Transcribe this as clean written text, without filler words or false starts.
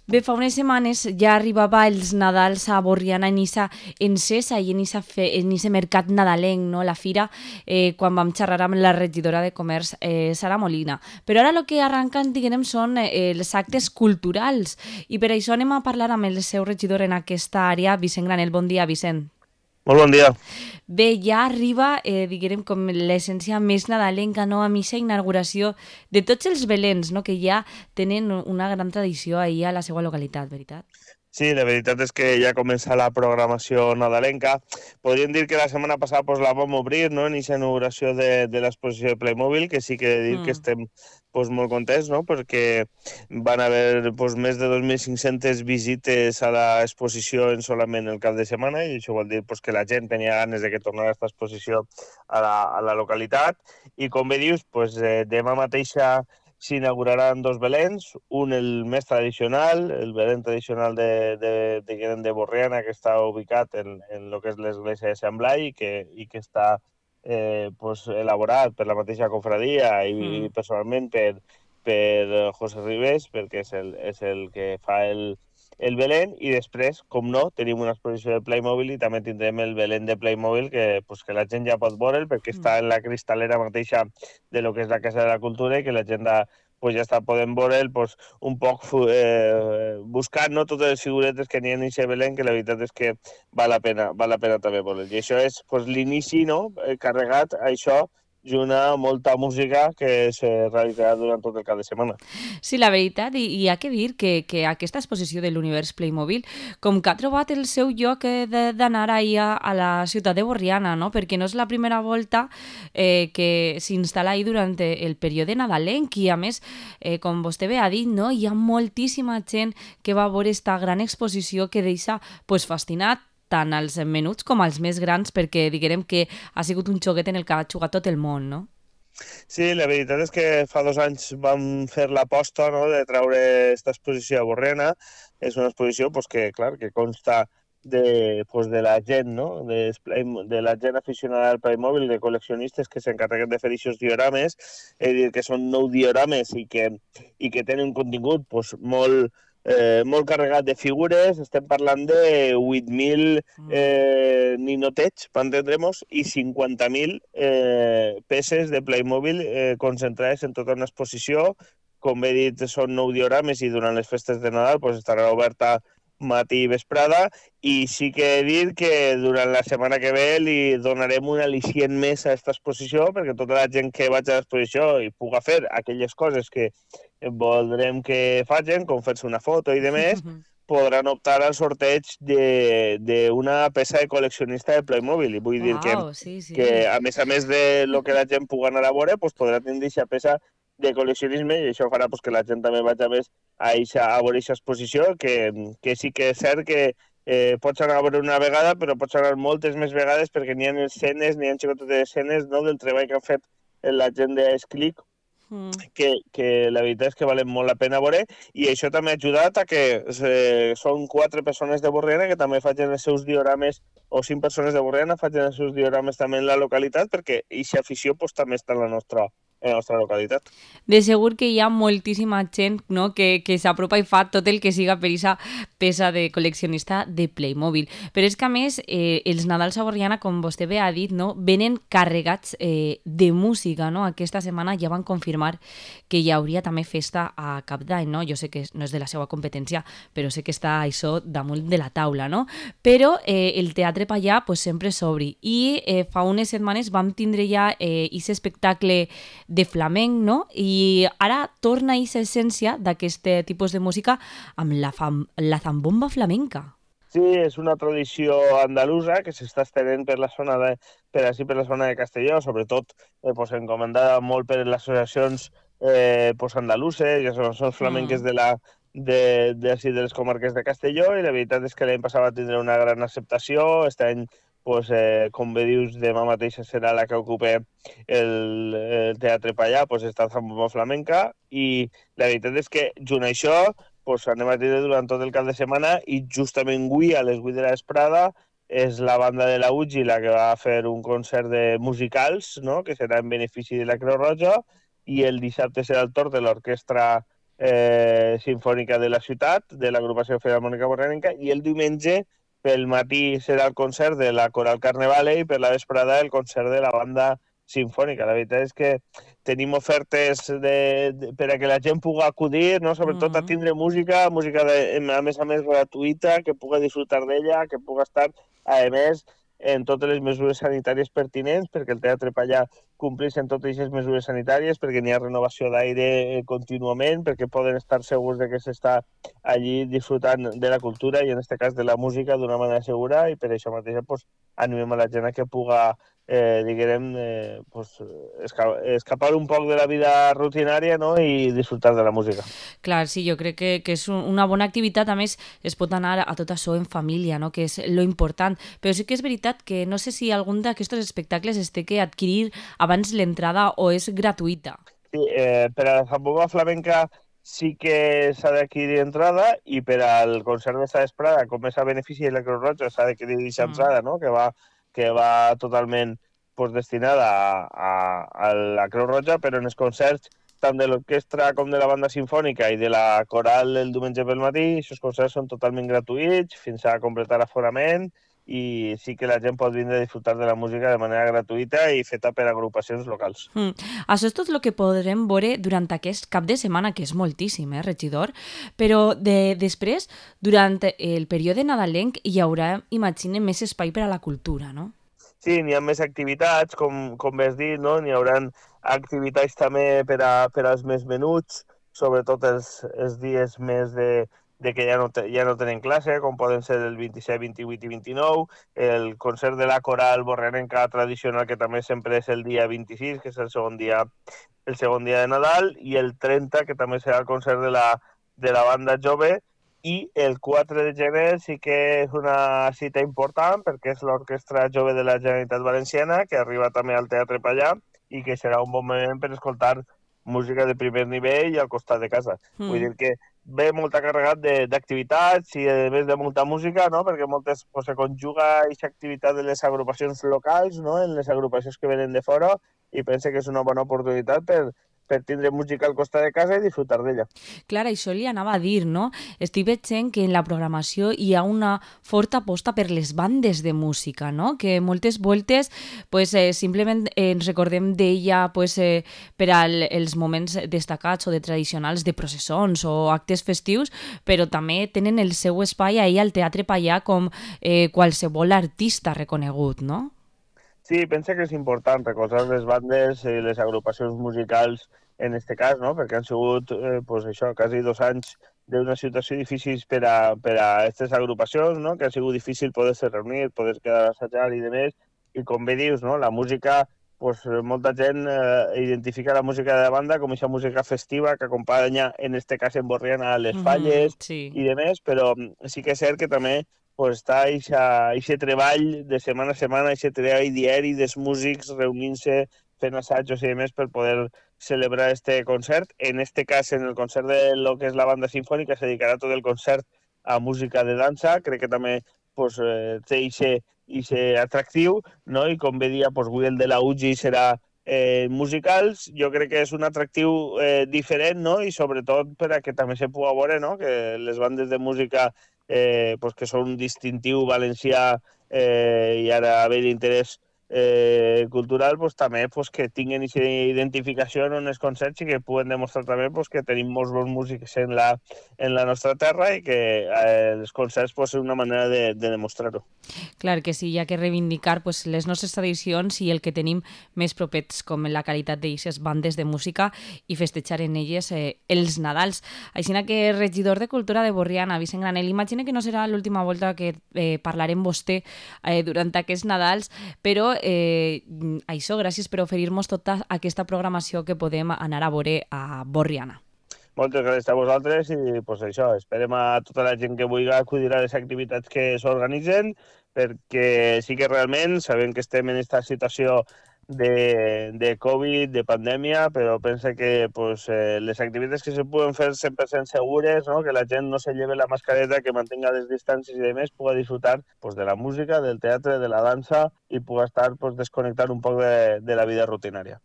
Bé, fa unes setmanes ja arribava els Nadals a Borriana en Issa encesa i en ese mercat nadalenc, no? La fira, quan vam xerrar amb la regidora de Comerç, Sara Molina. Però ara el que arranquen, diguem, són els actes culturals i per això anem a parlar amb el seu regidor en aquesta àrea, Vicent Granel. Bon dia, Vicent. Molt bon dia. Bé, ja arriba, diguem, com l'essència més nadalenca, no? A missa inauguració de tots els Belens, no? Que ja tenen una gran tradició ahir a la seva localitat, veritat? Sí, la veritat és que ja comença la programació nadalenca. Podríem dir que la setmana passada pues, la vam obrir, no?, en aquesta inauguració de l'exposició de Playmobil, que sí que he de dir que Mm. estem pues, molt contents, no?, perquè van haver pues, més de 2.500 visites a l'exposició en solament el cap de setmana, i això vol dir pues, que la gent tenia ganes de que tornara aquesta exposició a la localitat. I com bé dius, pues, demà mateixa s'inauguraran dos Belens, un el més tradicional, el Belén tradicional de Borriana, que està ubicat en lo que és l'església de Sant Blai i que està pues, elaborat per la mateixa cofradia i Mm. personalment per José Ribes, perquè és el que fa el Belén, i després, com no, tenim una exposició de Playmobil i també tindrem el Belén de Playmobil que la gent ja pot veure'l perquè Mm. està en la cristalera mateixa de lo que és la Casa de la Cultura i que la gent pues, ja està podent veure'l pues, un poc buscant, no, totes les figuretes que n'hi ha en aquest Belén, que la veritat és que val la pena també veure'l. I això és pues, l'inici, no?, carregat a això junt a molta música que se realitzarà durant tot el cap de setmana. Sí, la veritat, i ha que dir que aquesta exposició de l'univers Playmobil com que ha trobat el seu lloc d'anar ahir a la ciutat de Borriana, no? Perquè no és la primera volta que s'instal·la ahir durant el període nadalenc i a més, com vostè bé ha dit, no? Hi ha moltíssima gent que va veure esta gran exposició que deixa pues, fascinat tant als menuts com als més grans perquè diguem que ha sigut un xoguet en el que ha jugat tot el món, no? Sí, la veritat és que fa 2 anys vam fer l'aposta, no?, de treure aquesta exposició a Borrena. És una exposició pues, que, clar, que consta de la gent, no?, de la gent aficionada al Playmobil, de col·leccionistes que s'encarreguen de fer aquests diorames, és a dir, que són 9 diorames i que tenen un contingut pues, molt carregat de figures. Estem parlant de 8.000 Mm. ninotets, per entendremos, i 50.000 peces de Playmobil concentrades en tota una exposició. Com he dit, són 9 diorames i durant les festes de Nadal pues, estarà oberta matí i vesprada, i sí que he dit que durant la setmana que ve li donarem un al·licient més a aquesta exposició perquè tota la gent que vaig a l'exposició i puga fer aquelles coses que voldrem que facin, com fer-se una foto i demés, podran optar al sorteig d'una peça de col·leccionista de Playmobil. I vull dir Uau, sí, que sí. a més de lo que la gent pugui anar a veure, pues, podrà tindre aquesta peça de col·leccionisme, i això farà pues, que la gent també vagi més a veure aquesta exposició, que sí que és cert que pots anar a veure una vegada, però pots anar moltes més vegades perquè n'hi ha escenes, n'hi ha xicotes escenes, no?, del treball que han fet la gent d'Esclic, Mm. que la veritat és que valen molt la pena veure, i això també ha ajudat a que són 4 persones de Borriana que també facin els seus diorames, o 5 persones de Borriana facin els seus diorames també en la localitat, perquè aquesta afició pues, també està en la nostra localitat. De segur que hi ha moltíssima gent, no? que s'apropa i fa tot el que siga per aquesta peça de col·leccionista de Playmobil. Però és que, a més, els Nadals a Borriana, com vostè bé ha dit, no? Venen carregats de música. No? Aquesta setmana ja van confirmar que hi hauria també festa a Cap d'Any. No? Jo sé que no és de la seva competència, però sé que està això damunt de la taula. No? Però el Teatre Pallà pues, sempre s'obri. I fa unes setmanes vam tindre ja aquest espectacle de flamenc, no? I ara torna a aquesta essència d'aquest tipus de música amb la zambomba flamenca. Sí, és una tradició andalusa que s'està estenent per la zona de Castelló, sobretot pues, encomendada molt per les associacions pues, andaluses i associacions flamenques Mm. de les comarques de Castelló, i la veritat és que l'any passat va tindre una gran acceptació. Aquest any, pues, com bé dius, demà mateixa serà la que ocupa el Teatre Pallà, pues, està Zambomba Flamenca, i la veritat és que junt a això pues, anem a tindre durant tot el cap de setmana, i justament avui a les 8 de la vesprada és la banda de la UGI la que va fer un concert de musicals, no?, que serà en benefici de la Creu Roja, i el dissabte serà el torn de l'orquestra Sinfònica de la ciutat, de l'agrupació filharmònica borrianenca, i el diumenge pel matí serà el concert de la Coral Carnevale i per la vesprada el concert de la banda sinfònica. La veritat és que tenim ofertes per a que la gent pugui acudir, no? Sobretot a tindre música, a més gratuïta, que pugui disfrutar d'ella, que pugui estar, a més, en totes les mesures sanitàries pertinents, perquè el Teatre Pallà compleix en totes aquestes mesures sanitàries, perquè n'hi ha renovació d'aire contínuament, perquè poden estar segurs de que s'està allí disfrutant de la cultura i en aquest cas de la música d'una manera segura, i per això mateix pues, animem a la gent a que puga pues, escapar un poc de la vida rutinària, no? I disfrutar de la música. Clar, sí, jo crec que és una bona activitat. A més, es pot anar a tot això en família, no? Que és lo important. Però sí que és veritat que no sé si algun d'aquests espectacles es té que adquirir abans l'entrada o és gratuïta. Sí, per a la Zambomba Flamenca sí que s'ha d'adquirir entrada, i per al concert de Sa Esprada, com és a benefici de la Creu Roja, s'ha d'adquirir aquesta entrada, no? Que va totalment pues, destinada a la Creu Roja, però en els concerts tant de l'orquestra com de la banda sinfònica i de la coral el diumenge pel matí, aquests concerts són totalment gratuïts fins a completar aforament, i sí que la gent pot vindre a disfrutar de la música de manera gratuïta i feta per agrupacions locals. Això és tot el que podrem veure durant aquest cap de setmana, que és moltíssim, regidor? Però després, durant el període nadalenc, hi haurà, imagine, més espai per a la cultura, no? Sí, n'hi ha més activitats, com has dit, no? N'hi haurà activitats també per als més menuts, sobretot els dies més de que ja no tenen classe, com poden ser el 27, 28 i 29, el concert de la coral borrianenca tradicional, que també sempre és el dia 26, que és el segon dia de Nadal, i el 30, que també serà el concert de la banda jove, i el 4 de gener sí que és una cita important perquè és l'Orquestra Jove de la Generalitat Valenciana, que arriba també al Teatre Pallà i que serà un bon moment per escoltar música de primer nivell i al costat de casa. Vull dir que ve molt carregat d'activitats i a més de molta música, no? Perquè moltes pues, se conjuga aquesta activitat de les agrupacions locals, no? En les agrupacions que venen de fora, i pense que és una bona oportunitat per tindre música al costat de casa i disfrutar d'ella. Clar, això li anava a dir, no? Estic veient que en la programació hi ha una forta aposta per les bandes de música, no? Que moltes voltes pues, simplement ens recordem d'ella pues, per als moments destacats o de tradicionals de processons o actes festius, però també tenen el seu espai ahir al Teatre Pallà com qualsevol artista reconegut, no? Sí, pensa que és important recolzar les bandes i les agrupacions musicals en aquest cas, no? Perquè han sigut, pues això, quasi 2 anys d'una situació difícil per a aquestes agrupacions, no? Que ha sigut difícil poder-se reunir, poder quedar a assajar i demés. I com bé dius, no? La música, pues, molta gent identifica la música de la banda com aquesta música festiva que acompanya, en aquest cas en Borriana, les falles sí. i demés, però sí que és cert que també pues està aquest treball de setmana a setmana, aquest treball diari dels músics reunint-se, fent assajos i demés per poder celebrar este concert. En este cas, en el concert de lo que és la banda sinfònica, se dedicarà tot el concert a música de dansa. Crec que també pues, té aquest atractiu, no? I com bé dia, pues, avui el de la UGI serà musicals. Jo crec que és un atractiu diferent, no? I sobretot per a que també se pugui veure, no? Que les bandes de música pues que són un distintiu valencià i ara haver d'interès cultural, pues també pues, que tinguin aquesta identificació en els concerts i que puguen demostrar també pues, que tenim molts bons músics en la nostra terra i que els concerts pues, és una manera de demostrar-ho. Clar que sí, hi ha que reivindicar pues, les nostres tradicions i el que tenim més propets, com la qualitat d'aquestes bandes de música, i festejar en elles els Nadals. Així que, regidor de Cultura de Borriana, Vicent Granell, imagina que no serà l'última volta que parlarem amb vostè durant aquests Nadals, però això, gràcies per oferir-nos tota aquesta programació que podem anar a veure a Borriana. Moltes gràcies a vosaltres i pues, això, esperem a tota la gent que vulgui acudir a les activitats que s'organitzen, perquè sí que realment sabem que estem en aquesta situació de Covid, de pandèmia, però pensa que pues, les activitats que se poden fer 100% segures, no? Que la gent no se lleve la mascareta, que mantenga les distàncies i demés, pugui disfrutar pues, de la música, del teatre, de la dansa i pugui estar pues, desconnectar un poc de la vida rutinària.